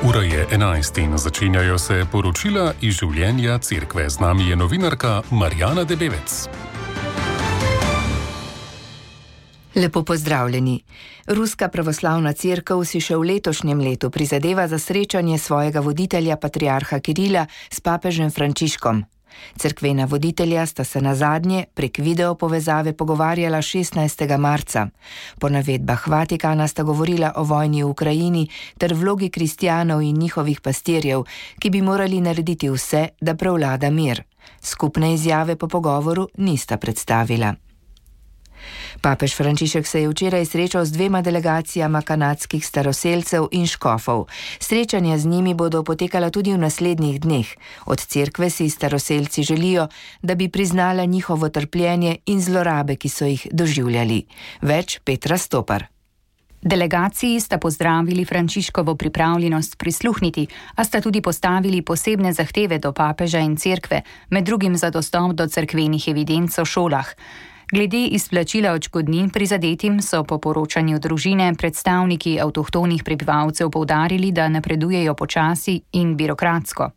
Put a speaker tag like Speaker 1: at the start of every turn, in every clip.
Speaker 1: Ura je 11 in začenjajo se poročila iz življenja cerkve. Z nami je novinarka Marjana Debevec.
Speaker 2: Lepo pozdravljeni. Ruska pravoslavna cerkev si še v letošnjem letu prizadeva za srečanje svojega voditelja patriarha Kirila s papežem Frančiškom. Cerkvena voditelja sta se nazadnje prek video povezave pogovarjala 16. marca. Po navedbah Vatikana sta govorila o vojni v Ukrajini ter vlogi kristjanov in njihovih pastirjev, ki bi morali narediti vse, da prevlada mir. Skupne izjave po pogovoru nista predstavila. Papež Frančišek se je včeraj srečal z dvema delegacijama kanadskih staroselcev in škofov. Srečanja z njimi bodo potekala tudi v naslednjih dneh. Od cerkve si staroselci želijo, da bi priznala njihovo trpljenje in zlorabe, ki so jih doživljali. Več Petra Stopar.
Speaker 3: Delegaciji sta pozdravili Frančiškovo pripravljenost prisluhniti, a sta tudi postavili posebne zahteve do papeža in cerkve, med drugim za dostop do cerkvenih evidenc o šolah. Glede izplačila odškodnin prizadetim so po poročanju družine predstavniki avtohtonih prebivalcev poudarili, da napredujejo počasi in birokratsko.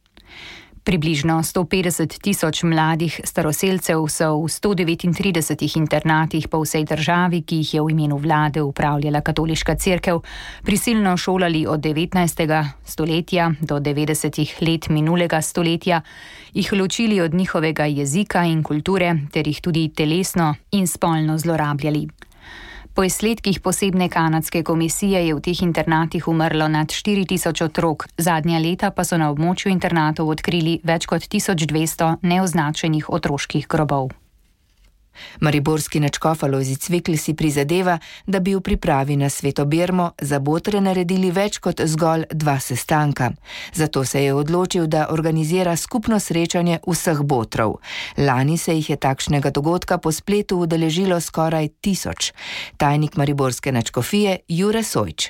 Speaker 3: Približno 150.000 mladih staroselcev so v 139 internatih po vsej državi, ki jih je v imenu vlade upravljala katoliška cerkev, prisilno šolali od 19. stoletja do 90. let minulega stoletja, jih ločili od njihovega jezika in kulture ter jih tudi telesno in spolno zlorabljali. Po izsledkih posebne kanadske komisije je v teh internatih umrlo nad 4.000 otrok, zadnja leta pa so na območju internatov odkrili več kot 1200 neoznačenih otroških grobov. Mariborski nadškof Alojzij Cvikl si prizadeva, da bi v pripravi na Sveto Birmo za botre naredili več kot zgolj 2 sestanka. Zato se je odločil, da organizira skupno srečanje vseh botrov. Lani se jih je takšnega dogodka po spletu udeležilo skoraj 1000. Tajnik mariborske nadškofije Jure Sojč.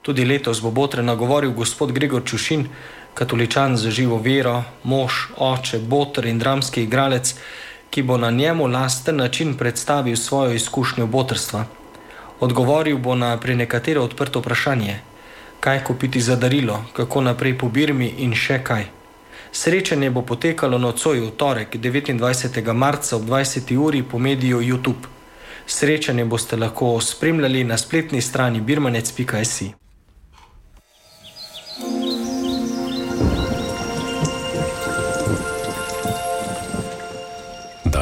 Speaker 4: Tudi letos bo botre nagovoril gospod Gregor Čušin, katoličan z živo vero, mož, oče, botr in dramski igralec, ki bo na njemu lasten način predstavil svojo izkušnjo botrstva. Odgovoril bo na prenekatero odprto vprašanje, kaj kupiti za darilo, kako naprej po Birmi in še kaj. Srečanje bo potekalo nocoj v torek, 29. marca ob 20. uri po mediju YouTube. Srečanje boste lahko spremljali na spletni strani birmanec.si.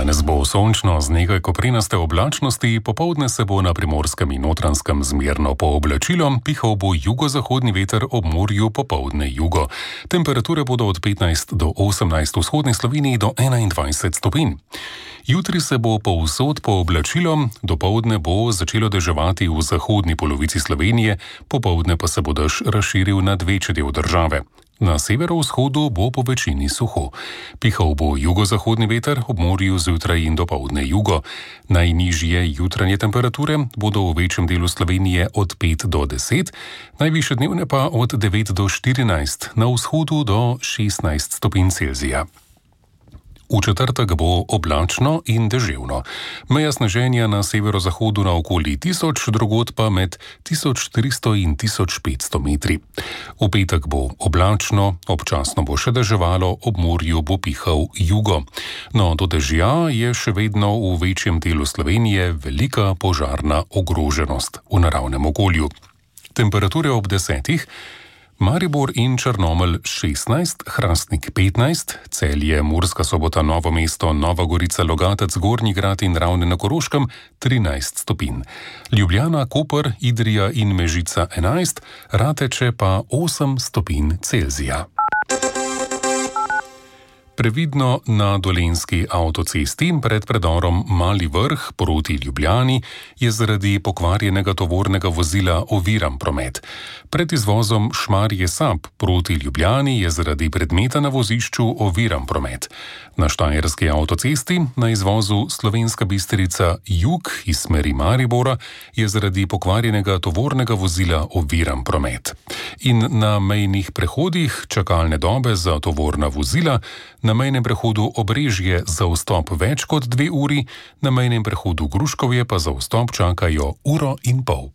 Speaker 1: Danes bo sončno z nekaj koprenaste oblačnosti, popoldne se bo na Primorskem in Notranjskem zmerno pooblačilo, pihal bo jugozahodni veter, ob morju popoldne jugo. Temperature bodo od 15 do 18 v vzhodni Sloveniji do 21 stopinj. Jutri se bo povsod pooblačilo, dopoldne bo začelo deževati v zahodni polovici Slovenije, popoldne pa se bo dež razširil nad večji del države. Na severovzhodu bo po večini suho. Pihal bo jugozahodni veter, ob morju zjutraj in dopoldne jugo. Najnižje jutranje temperature bodo v večjem delu Slovenije od 5 do 10, najvišje dnevne pa od 9 do 14, na vzhodu do 16 stopinj Celzija. V četrtek bo oblačno in deževno. Meja sneženja na severozahodu na okoli 1000, drugod pa med 1300 in 1500 metri. V petek bo oblačno, občasno bo še deževalo, ob morju bo pihal jugo. No, do dežja je še vedno v večjem delu Slovenije velika požarna ogroženost v naravnem okolju. Temperature ob 10. Maribor in Črnomelj 16, Hrastnik 15, Celje, Murska Sobota, Novo mesto, Nova Gorica, Logatec, Gornji Grad in Ravne na Koroškem 13 stopinj. Ljubljana, Koper, Idrija in Mežica 11, Rateče pa 8 stopinj Celzija. Previdno na Dolenjski avtocesti pred predorom Mali Vrh proti Ljubljani je zaradi pokvarjenega tovornega vozila oviran promet. Pred izvozom Šmarje-Sab proti Ljubljani je zaradi predmeta na vozišču oviran promet. Na Štajerski avtocesti na izvozu Slovenska Bistrica jug iz smeri Maribora je zaradi pokvarjenega tovornega vozila oviran promet. In na mejnih prehodih čakalne dobe za tovorna vozila, na mejnem prehodu Obrežje za vstop več kot 2 uri, na mejnem prehodu Gruškovje pa za vstop čakajo 1,5 ure.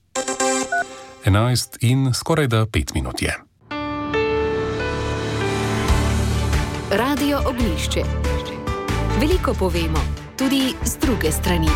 Speaker 1: 11 in skorajda 5 minut je.
Speaker 5: Radio Ognjišče. Veliko povemo, tudi z druge strani.